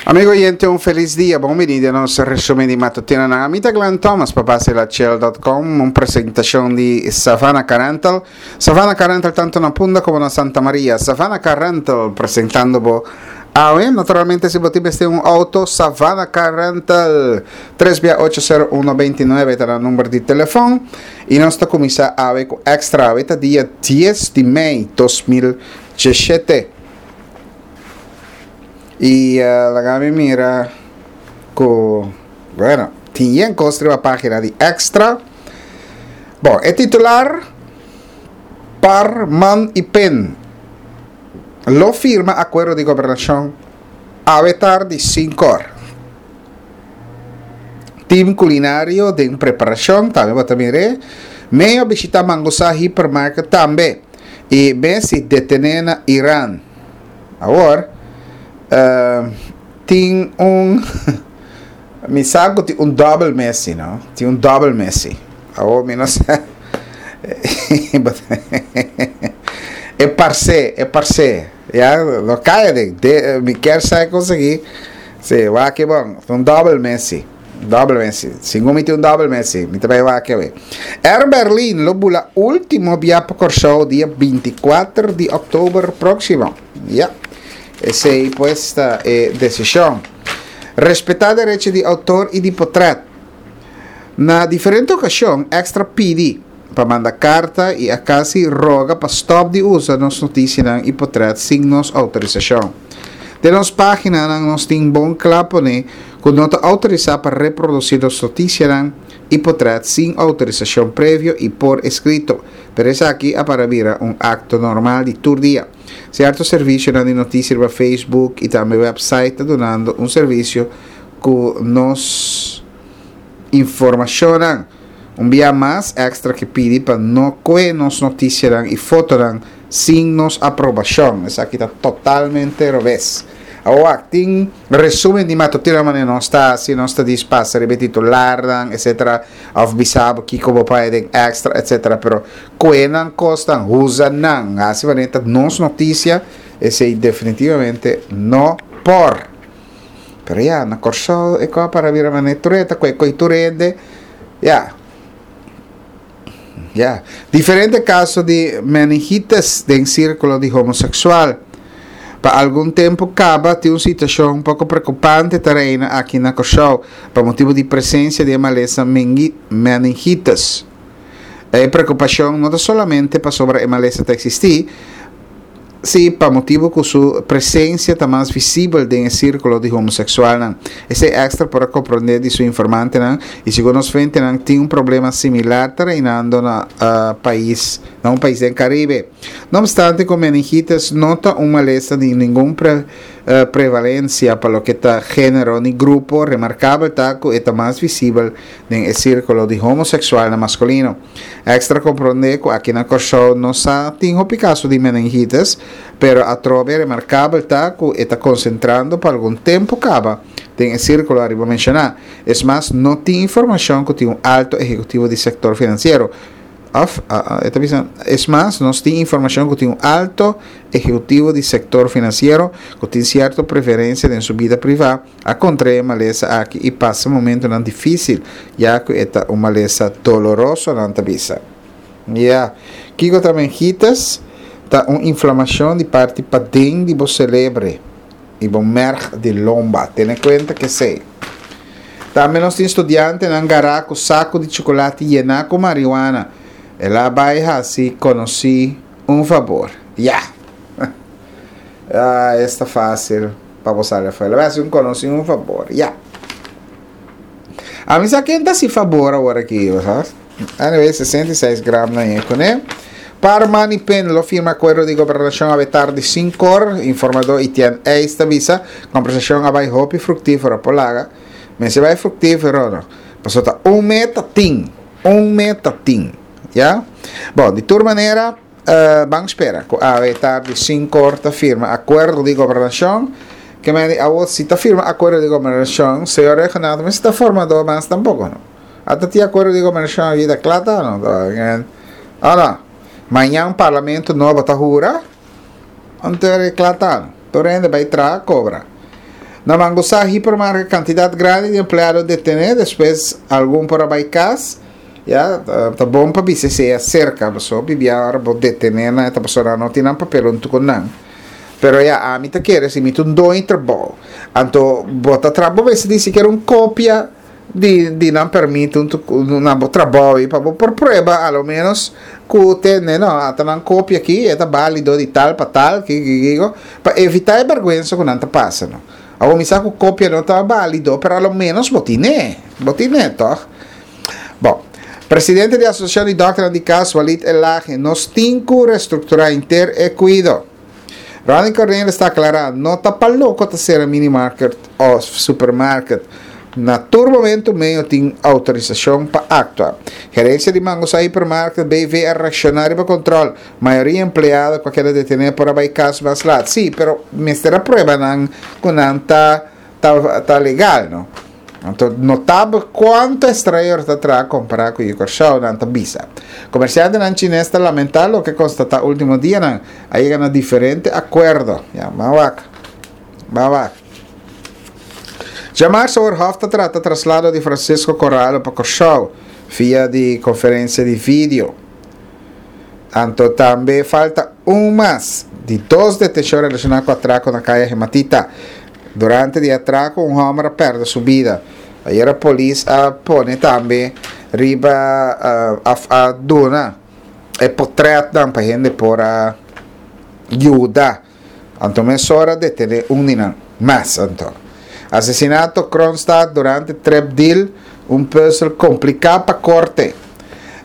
Amigo oyente, un feliz dia. Bon bini den nos resumen di matutinonan. Ami ta Glenn Thomas pa baselachel.com, un presentacion di Savannah Car Rental. Savannah Car Rental tanto na Punda como na Santa Maria. Savannah Car Rental presentando bo awe. Naturalmente si bo tin mester un auto, Savannah Car Rental 3 bia 80129 ta nan number di telefon. Y nos ta cuminsa awe cu extra. Awe ta dia 10 di mei 2017. Y laga mi mira cu, bueno, tin yen cos riba pagina di Extra. Bon, e titular, Par, Man y Pen lo firma acuerdo di gobernacion awe tardi sincor. Team culinario den preparacion, tambe bo ta mir'é. Meo a bishita Mangusa Hypermarket tambe. Y Messi detene na Iran. Awor, tin un, mi sa ku tin un dòbel Messi, no? Tin un dòbel Messi. Awor mi no sa. E parse, e parse. Ya, no kaya den. De, mi kier sa e kos aki. Si, wak e bon. Un dòbel Messi. Dòbel Messi. Segun mi tin un dòbel Messi. Mi ta bai wak awe. Air Berlin lo bula último bia pa Kòrsou dia bintikuater di òktober próksimo. Ya. Esei pues ta e desishon. Respetá derecho di outor i di potrèt. Na diferente okashon Extra pidi pa manda karta i a kasi roga pa stòp di usa nos notisianan i potrèt sin nos outorisashon. Den nos páginanan nos tin bon kla pone ku no ta outorisá pa reprodusí nos notisianan i potrèt sin outorisashon previo i por eskrito, pero esaki a para bira un akto normal di tur dia. Sierto servisionan di notisia riba Facebook i tambe wèpsait ta dunando un servisio ku nos informashonnan. Un bia mas, Extra ke pidi pa no kue nos notisianan i fotonan sin nos aprobashon. Esaki ta totalmente robes. Awor, tin resumen di matutino manera nos ta hasi, nos ta dis pasa riba e titularnan, etcetera, of bisa bo kiko bo por haya den Extra, etcetera, pero kue nan kosnan, usa nan, hasi manera ta nos notisia, esei definitivamente no por. Pero ya, na Kòrsou e kos a para bira manera tur e ta kue koi tur hende, ya. Ya. Diferente kaso di meningitis den sírkulo di homoseksual. Pa algun tempu kaba tin un situashon poko preokupante ta reina aki na Kòrsou pa motibu di presensia di e malesa meningitis. E preokupashon no ta solamente pasobra e malesa ta eksistí, Sí, pa motibu ku su presensia ta mas visibel den e sírkulo di homoseksualnan. Esei Extra por a komprondé di su informantenan i segun nos fuentenan tin un problema similar ta reinando na pais na un pais den Karibe. No opstante ku meningitis no ta un malesa di ningun prevalensia pa loke ta género ni grupo, remarkabel ta ku e ta mas visibel den e sírkulo di homoseksualnan maskulino. Extra komprondé ku aki na Kòrsou no sa tin hopi kaso di meningitis, pero atrobe remarkabel ta ku e ta konsentrando pa algun tempu kaba den e sírkulo ariba menshoná. Es mas, no tin informashon ku tin un alto ehekutivo di sektor finansiero òf, e ta bisa, es mas, nos tin informashon ku tin un alto ehekutivo di sektor finansiero ku tin sierto preferensia den su bida privá, A kontraé e malesa aki i pasa momentunan difísil, ya ku e ta un malesa doloroso, nan ta bisa. Ya. Kiko ta mengitis? Ta un inflamashon di parti paden di bo selebre i bo mèrg di lomba. Tene kuenta ku esei. Tambe nos tin studiantenan gará ku saku di chukulati yená ku mariwana. El a bai hasi konosí un fabor. Ya. Ah, esta fásil. Pa bo sali afuera. Lo hasi un konosí un fabor. Ya. A mi sa ken ta hasi fabor awor aki, bo sa. Anyway, 66 gram na e kuné. Par Manny Pen lo firma akuerdo di gobernashon awe tardi sinkor, informadó Etienne Eis ta bisa. Kombersashon a bai hopi fruktífero por laga. Mester bai fruktífero no. Pasobra ta un meta tin. Un meta tin. Ya. Bon, di tur manera. Ban spera ku awe tardi sinkor ta firma akuerdo di gobernashon. Ke men di awo si ta firma akuerdo di gobernashon, señor Reginald mester ta formadó mas tampoko no. Ata tin akuerdo di gobernashon a bida kla ta no. O no? Mañan parlamento nobo ta hura, anto e kla ta no. Tur hende bai traha kobra. Na Mangusá Hipermarket kantidat grandi di empleado detené, despues algun por a bai kas. Ya, ta bon pa bisa esei aserka, pasobra hopi bia ora bo detené nan e ta pasobra nan no tin nan papel huntu ku nan. Pero ya, ami ta kere si mi ta un doño trabou, anto bo ta traha, bo mester tin sikiera un kopia di di nan permit huntu ku na bo trabou ei pa bo por prueba a lo menos ku tende no, ata nan kopia aki e ta balido di tal pa tal, kiko kiko kiko, pa evitá e bèrgwensa ku nan ta pasa no. Awor mi sa ku kopia no ta balido, pero a lo menos bo tin'é, bo tin'é tòg. Bon, presidente di Asosiashon di Dòkternan di Kas, Walid Elhage, Nos tin ku restrukturá henter e kuido. Ronnie Cornelis ta aklará, No ta pa loko ta sera minimarket òf supermarket. Na tur momento meo tin outorisashon pa aktua. Gerensia di Mangosa Hipermarket BV a reakshoná riba kontròl. Mayoria empleado ku a keda detené por a bai kas mas lat. Sí, pero mester a prueba nan ku nan ta ta legal, no? Anto notabel kuantu estrañero ta traha kompará ku yu Kòrsou, nan ta bisa. Komersiantenan chines ta lamentá loke konstatá último dianan. A yega na diferente akuerdo. Ya, ban wak. Ban wak. Djamarsa ora Hof ta trata traslado di Francisco Corralo pa Kòrsou via di konferensia di video. Anto tambe falta un mas di dos detenshon relashoná ku atrako na Kaya Hematita. Durante di atrako un hòmber a pèrdè su bida. Ayera polis a pone tambe riba òf a duna e potrètnan pa hende por a yuda. Anto mesora detené un di nan. Mas anto. Asesinato Kroonstad durante trip deal, un pùzel kompliká pa korte.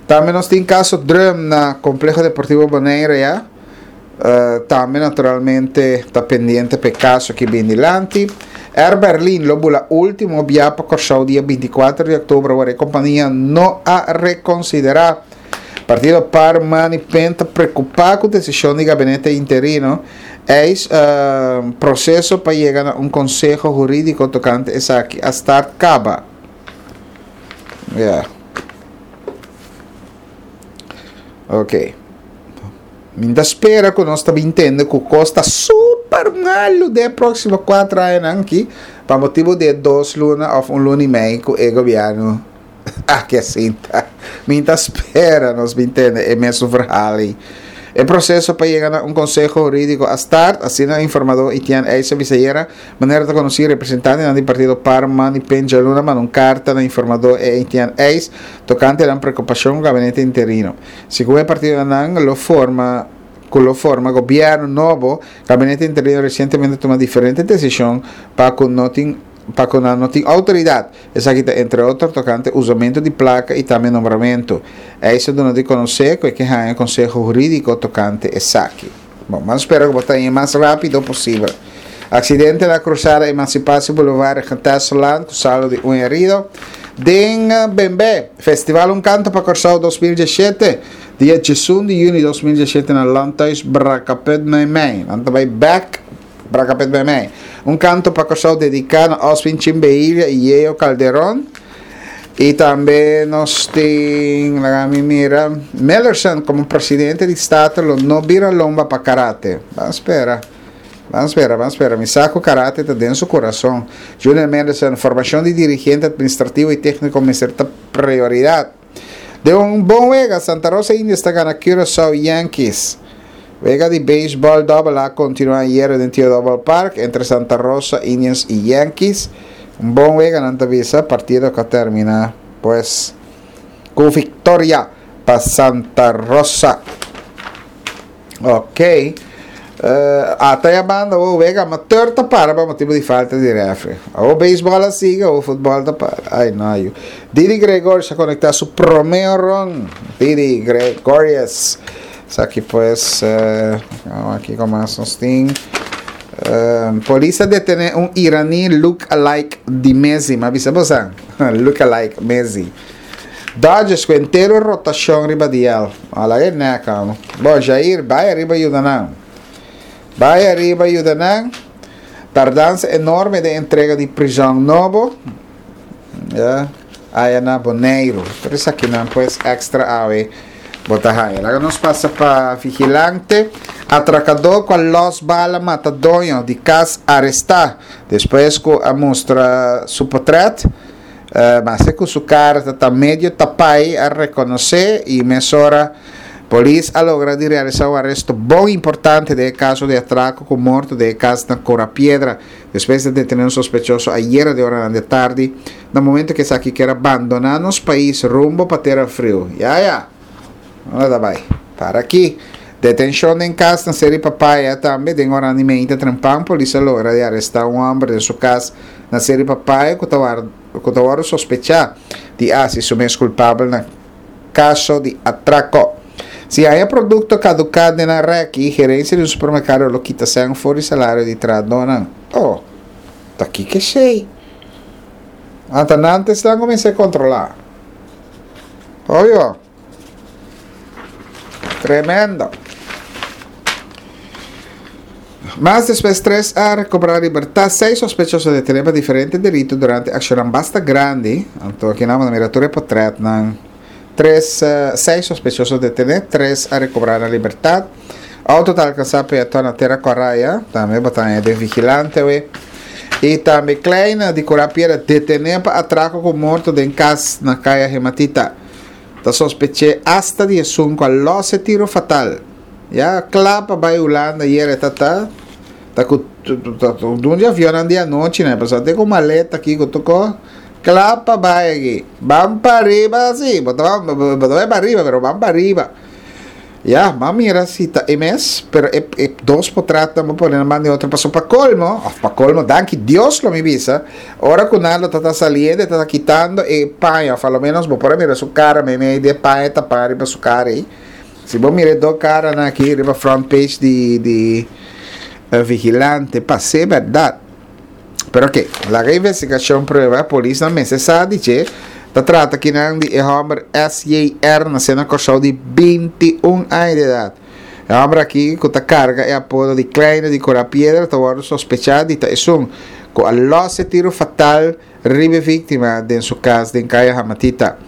Tambe nos tin kaso Drum na Kompleho Deportivo Bonaire ya. Tambe naturalmente ta pendiente pa e kaso ki bin dilanti. Air Berlin lo bula ultimo bia pa Kòrsou dia 24 di òktober ora e kompania no a rekonsiderá. Partido par, man i pen ta preokupá ku desishon di gabinete interino eis proseso pa yega na un konseho hurídiko tokante esaki a start kaba. Ya. Ok. Mi ta spera ku nos ta bin tende ku kos ta super malu den e próksimo kuater añanan aki pa motibu di e dos luna òf un luna i mei ku e gobièrnu aki a sinta. Mi ta spera nos bin tende e mesun verhaal ei. E proseso pa yega na un konseho hurídiko a start, asina informadó Etienne Eis a bisa ayera. Manera ta konosí, representantenan di partido par, man i pen djaluna manda un karta na informadó Etienne Eis tokante nan preokupashon ku gabinete interino. Segun e partidonan lo forma ku lo forma gobièrnu nobo, gabinete interino resientemente a tuma diferente desishon pa ku no tin pa ku nan no tin outoridat. Esaki ta entre otro tokante usamentu di plaka i tambe nombramentu. Eis a duna di konosé ku e ke haña konseho hurídiko tokante esaki. Bon, ban spera ku bo ta hañ'é mas rápido posibel. Aksidente na krusada Emancipatie Boulevard Regentesselaan ku saldo di un herido. Den Bembé, Festival Un Kanto pa Kòrsou 2017, dia 11 di yüni 2017 na Landhuis Brakaput Meimei. Nan ta bai bèk Brakaput Meimei. Un Kanto pa Kòrsou dediká na Oswin Chimbehilia i Yeo Calderon. I tambe nos tin, laga mi mira, Millerson komo presidente di Staten lo no bira lomba pa karate. Ban spera. Ban spera, ban spera. Mi sa ku karate ta den su kurason. Junior Mendelssohn, Formashon di dirigente administrativo i tékniko mester ta prioridat. Den un bon wega, Santa Rosa Indians ta gana Curaçao Yankees. Wega di beisbòl dòbel A kontinuá ayera den Tio Dòbel Park entre Santa Rosa Indians i Yankees. Un bon wega nan ta bisa, partido ku a terminá pues ku viktoria pa Santa Rosa. Ok. Ata ya banda o wega amateur ta para pa motibo di falta di refri. O baseball a siga o futbol ta para. Ay no ayu. Didi Gregorius a conecta su prome ron. Didi Gregorius. Esaki pues, aki con mas nos tin. Polis a detene un iraní look alike di Messi. Ma bisa bosan. Look alike Messi. Dodgers ku entero rotashon riba DL. Ala e nek amo. Bon, Jair, bai ariba yuda nan. Bai ariba yuda nan. Tardansa enorme den entrega di prizòn nobo. Ya, aya na Boneiru. Tur esakinan pues extra awe. Bo ta haña. Laga nos pasa pa Vigilante. Atrakadó ku a lòs bala mata doño di kas arestá despues ku a mustra su potrèt. Maske ku su kara ta ta medio tapai a rekonosé i mesora polis a logra di realisá un aresto bon importante den e kaso di atrako ku morto den e kas na Cora Piedra. Despues di a detené un sospechoso ayera den oranan di tardi, na momento ku esaki kier a bandoná nos pais rumbo pa tera friu. Ya ya! Unda ta bai? Para aki! Detenshon den kas na Seri Papaya tambe den oranan di meinta trempan polis a logra di arestá un hòmber den su kas na Seri Papaya ku ta ku ta wòrdu sospechá di hasi su mes kulpabel na kaso di atrako. Si haña produkto kaduká den nan rèki, gerensia di un supermerkado lo kita sèn for di salario di trahadónan. Oh, ta kiko esei? Anta nan ta esnan kuminsá kontrolá. Oyo. Tremendo. Mas despues tres a recobrá libertad, seis sospechoso detené pa diferente delito durante accionnan basta grandi. Anto aki nan bo ta mira tur e potretnan. Tres, seis sospechoso detené, tres a recobrá nan libertad. Auto ta alcansá peaton na Tera Coraya, tambe bo ta haña den Vigilante awe. Y tambe Kleine di Cura Piedra detené pa atraco cu morto den cas na Caya Hematita. Ta sospeché hasta di esun cu a los e tiro fatal. Ya cla pa bay Hulanda ayer e ta ta ta cu un di avionnan di anochi nan pasobra te cu maleta aki cu tur cos cla pa bay aki. Ban pa riba si bo ta bo ta bay pa riba pero ban pa riba. Ya, m'a mira si ta e mes, pero e e dos potratnan bo pone nan banda di otro pasobra pa colmo, of pa colmo danki Dios lo mi bisa, ora cu nan lo ta ta saliendo e ta ta kitando e paña of a lo menos bo por a mira su cara meimei di e paña tapa riba su cara ei. Si bo mira e dos caranan aki riba front page di di Vigilante pa ser berdad. Pero ok, laga investigacion prueba, polisnan mester sa di dje, ta trata kinan di e homber SJR nace na Corsou di 21 aña di edad. E homber aki cu ta carga e apodo di Kleine di Cora Piedra ta wordo sospecha di ta esun cu a los e tiro fatal riba e víktima den su kas den Kaya Hamatita.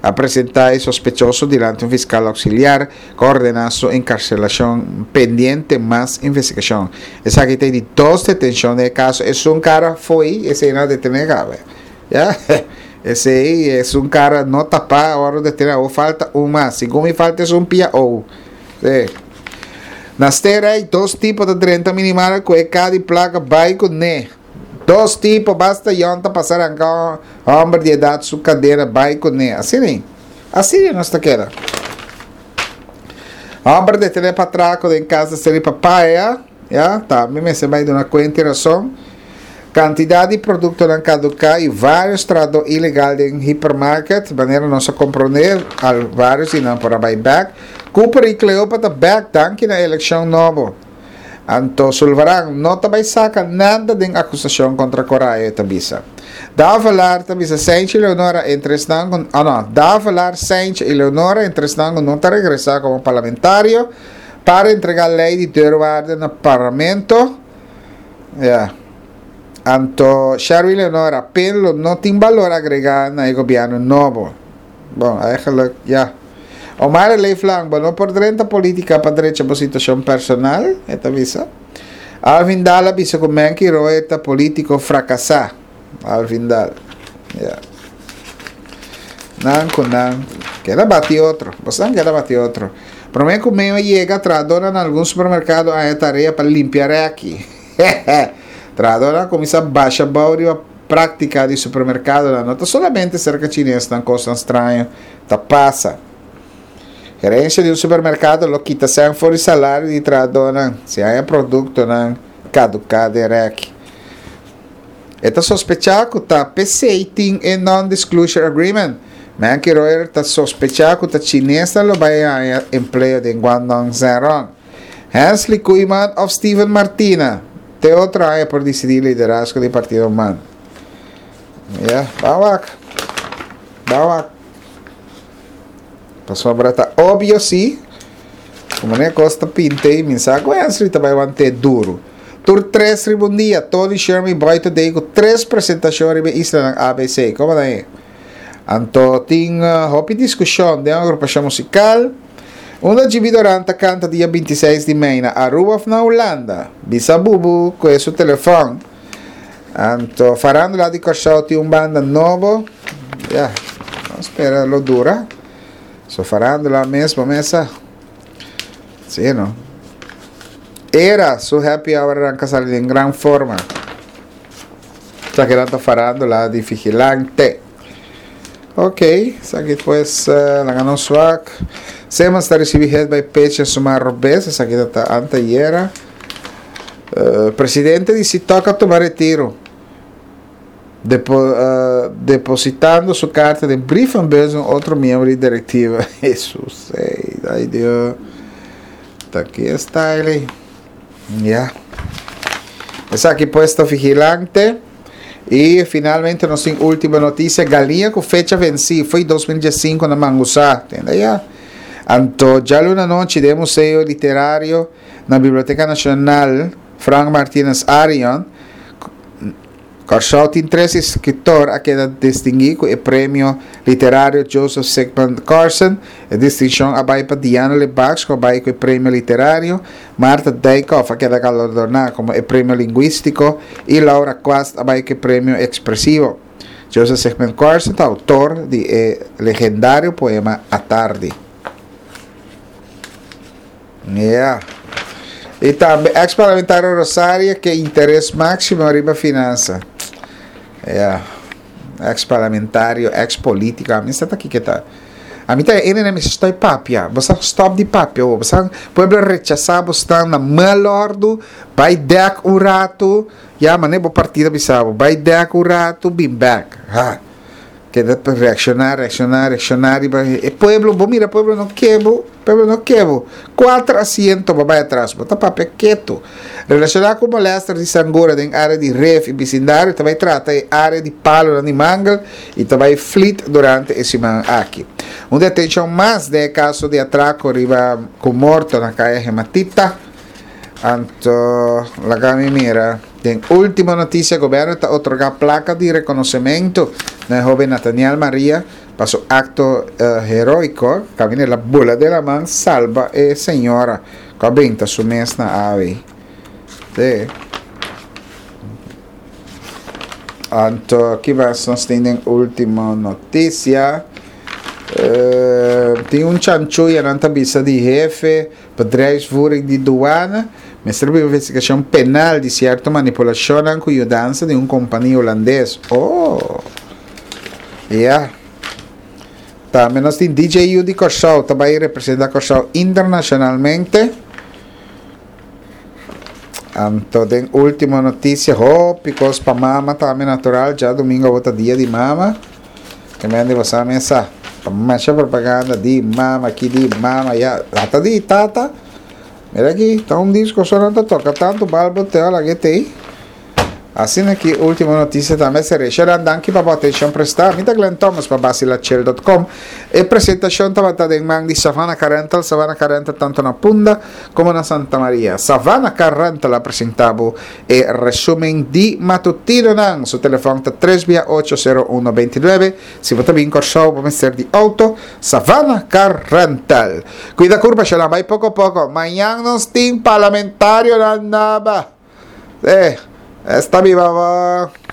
A presentá e sospechoso dilanti un fiskal auxiliar ku a ordená su enkarselashon pendiente mas investigashon. Esaki ta e di dos detenshon den e kaso. Esun kara fo'i esei nan a detené kabe. Ya, esei esun kara no tapá a wòrdu detené. Awor falta un mas. Segun mi falta esun pia ou. Sí. Na Sterrijk dos tipo ta drenta minimal ku e ka di plaka bai kuné. Dos tipo, basta yon ta pasa ranka homber di edad su cadera bay cune. Asina ei. Asina nos ta keda. Homber detene pa atraco den cas di seri papaya, ya, tambe mester bay duna cuenta y razon. Cantidad di productonan caduca y varios trahador ilegal den hipermarket, manera nos a comprende, al varios di nan por a bay bek. Cooper y Cleopa ta bek danki na eleccion nobo. Anto Sulvaran no ta bai saka nada den akusashon kontra Coraya, e ta bisa. Davelaar ta bisa Sijntje i Leonora entre esnan ku oh no, Davelaar, Sijntje i Leonora entre esnan ku no ta regresá komo parlamentario para entregá lei di deurwaarde na parlamento. Ya. Anto Sherwin Leonora, pen lo no tin balor agregá na e gobièrnu nobo. Bon, eigenlijk, ya. Omar e leeflang, bo no por drenta politica pa drecha bo situacion personal, e ta bisa. Alvin Daal a bisa cu Menky Roy ta politico fracasa. Alvin Daal, ya. Nan cu nan keda bati otro. Bosnan keda bati otro. Prome cu meo yega, trahadornan na algun supermercado a haña tarea pa limpia reki. Trahadornan a cuminsa basha bou riba Práktika di supermerkadonan no ta solamente serka chinesnan kosnan straño ta pasa. Gerensia di un supermerkado lo kita sèn for di salario di trahadónan si haña produktonan kaduká den rèki. E ta sospechá ku ta p'esei tin e non-disclosure agreement. Menke Royer ta sospechá ku ta chinesnan lo bai haña empleo den Guangdong Zhenrong. Hensley Koeiman of Steven Martina? Te otro aña por disidí liderazgo di partido man. Ya, ban wak. Ban wak. Pasobra ta obvio si, ku manera kos ta pinta ei, mi sa ku Hensley ta bai want'é duru. Tur tres riba un dia, Tony Sherman i Boy Today ku tres presentashon riba e islanan ABC. Komo ta ei? Anto tin hopi diskushon den agrupashon musikal. Unda Gibi Doran ta kanta dia 26 di mei na Aruba of na Hulanda? Bisa Bubu ku e su telefòn. Anto farándula di Kòrsou tin un banda nobo. Ya, nos spera lo dura. So farándula mes bo mesa. Sí, no. Era su happy hour ranka sali den gran forma. Esaki nan ta farándula di Vigilante. Ok, esaki pues uh, laga nos wak. Simmons ta recibi hit by pitch en suma robes, esaki ta ta antayera. Uh, presidente di Sitoc a tuma retiro. Depo, uh, depositando su carta den brievenbus un otro miembro di directiva. Jesus, hey, ay Dios. Ta ki style. Ya. Esaki pues ta vigilante. Y finalmente nos tin última noticia. Galiña ku fecha vencí foi 2015 na Mangusá. Tenda ya. Anto djaluna nochi den Museo Literario na Biblioteca Nacional Frank Martinus Arion Kòrsou tin tres eskritor a keda distinguí ku e premio literario Joseph Sigmund Corsen. E distinshon a bai pa Diana Lebacs ku a bai ku e premio literario, Martha Dijkhoff a keda galardoná komo e premio lingwístiko i Laura Quast a bai ku e premio ekspresivo. Joseph Sigmund Corsen ta outor di e legendario poema Atardi. Ya. I tambe ex parlamentario Rosaria ke interes máximo riba finansa. Ya. Ex parlamentario, ex político. A mi sa ta kiko ta. A mi ta e ene mi stoi papia. Bo sa stop di papia. Bo sa pueblo rechasa bo stan na melordu. Bai dek un rato. Ya mane bo partido bisa bo. Bai dek un rato, bin back. Ha. Keda pa reacciona, reacciona, reacciona riba e pueblo. Bo mira pueblo no ke bo, pueblo no ke bo. Cuater asiento bo bai atras, bo ta papia keto. Relaciona cu molester di sangura den area di Rif y bisindario ta bai trata e area di palonan di mangel y ta bai flit durante e siman aki. Un detencion mas den e caso di atraco riba cu morto na caya Hematita. Anto laga mi mira. Den ultimo noticia gobierno ta otorga placa di reconocemento na e hoben Nathaniel Maria pa su acto heroico caminda el a bula den laman salba e señora cu a benta su mes na awe. Te. Anto ki mas nos tin den ultimo noticia? Tin un chanchuya nan ta bisa di hefe Bedrijfsvoering di Douane mester bin investigashon penal di sierto manipulashonnan ku yudansa di un kompania hulandes. Oh! Ya. Tambe nos tin DJU di Kòrsou ta bai representá Kòrsou internashonalmente. Anto den último notisia, hopi kos pa mama tambe natural. Djadumingu awor ta dia di mama. Ke men di boso a mesa. Ta masha propaganda di mama aki di mama ya. Ata di tata. Mira aki, ta un disco so nan ta toka tantu balbo te ora ke tei. Asina ki ultimo noticia tambe seré. Sheran danki pa bo atencion presta. Mi ta Glenn Thomas pa Basilachel.com. E presentacion tabata den man di Savannah Car Rental. Savannah Car Rental tanto na Punda como na Santa Maria. Savannah Car Rental a presenta bo e resumen di matutinonan. Su telefon ta tres bia ocho sero uno beintinuebe. Si bo ta bin Kòrsou bo mester di outo, Savannah Car Rental. Kuida kurpa Sheran bai poko poko. Mañan nos tin parlamentarionan naba. Eh, esta biba bo.